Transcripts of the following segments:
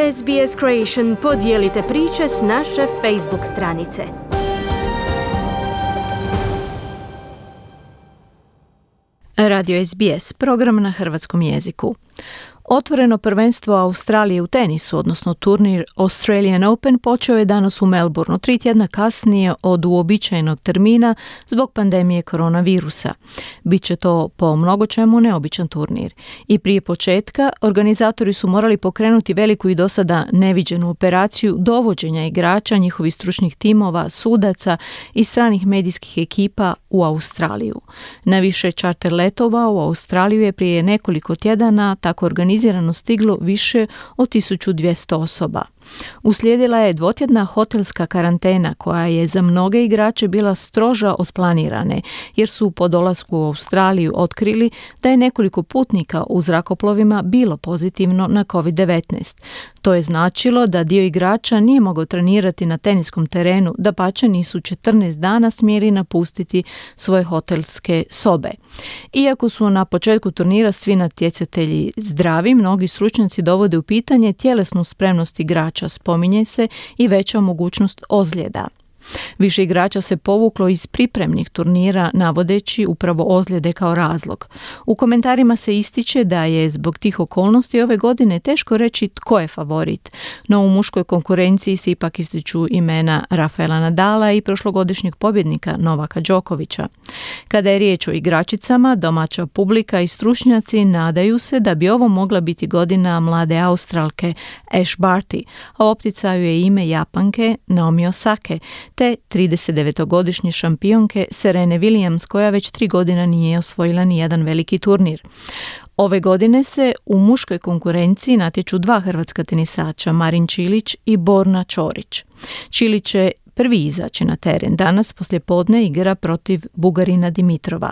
SBS Creation podijelite priče s naše Facebook stranice. Radio SBS, program na hrvatskom jeziku. Otvoreno prvenstvo Australije u tenisu, odnosno turnir Australian Open, počeo je danas u Melbourneu, 3 tjedna kasnije od uobičajenog termina zbog pandemije koronavirusa. Biće to po mnogo čemu neobičan turnir. I prije početka organizatori su morali pokrenuti veliku i dosada neviđenu operaciju dovođenja igrača, njihovih stručnih timova, sudaca i stranih medijskih ekipa u Australiju. Na više čarter letova u Australiju je prije nekoliko tjedana tako organizirano stiglo više od 1200 osoba. Uslijedila je dvotjedna hotelska karantena koja je za mnoge igrače bila stroža od planirane, jer su po dolasku u Australiju otkrili da je nekoliko putnika u zrakoplovima bilo pozitivno na COVID-19. To je značilo da dio igrača nije mogao trenirati na teniskom terenu, dapače nisu 14 dana smjeli napustiti svoje hotelske sobe. Iako su na početku turnira svi natjecatelji zdravi, mnogi stručnjaci dovode u pitanje tjelesnu spremnost igrača, spominje se i veća mogućnost ozljeda. Više igrača se povuklo iz pripremnih turnira navodeći upravo ozljede kao razlog. U komentarima se ističe da je zbog tih okolnosti ove godine teško reći tko je favorit, no u muškoj konkurenciji se ipak ističu imena Rafaela Nadala i prošlogodišnjeg pobjednika Novaka Đokovića. Kada je riječ o igračicama, domaća publika i stručnjaci nadaju se da bi ovo mogla biti godina mlade Australke Ash Barty, a u opticaju je ime Japanke Naomi Osake, te 39-godišnje šampionke Serene Williams, koja već 3 godina nije osvojila ni jedan veliki turnir. Ove godine se u muškoj konkurenciji natječu 2 hrvatska tenisača, Marin Čilić i Borna Ćorić. Čilić će prvi izaći na teren. Danas poslijepodne igra protiv Bugarina Dimitrova.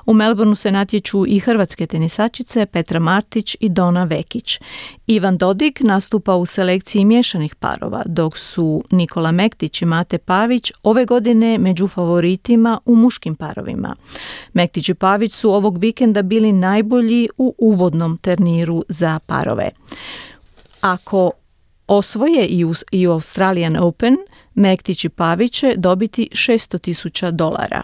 U Melbourneu se natječu i hrvatske tenisačice Petra Martić i Dona Vekić. Ivan Dodig nastupa u selekciji miješanih parova, dok su Nikola Mektić i Mate Pavić ove godine među favoritima u muškim parovima. Mektić i Pavić su ovog vikenda bili najbolji u uvodnom turniru za parove. Ako osvoje i u Australian Open, Mektić i Pavić će dobiti $600,000.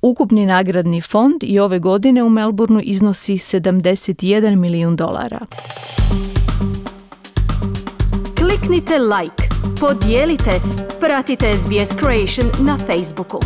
Ukupni nagradni fond i ove godine u Melbourneu iznosi $71 milijun. Kliknite like, podijelite, pratite SBS Creation na Facebooku.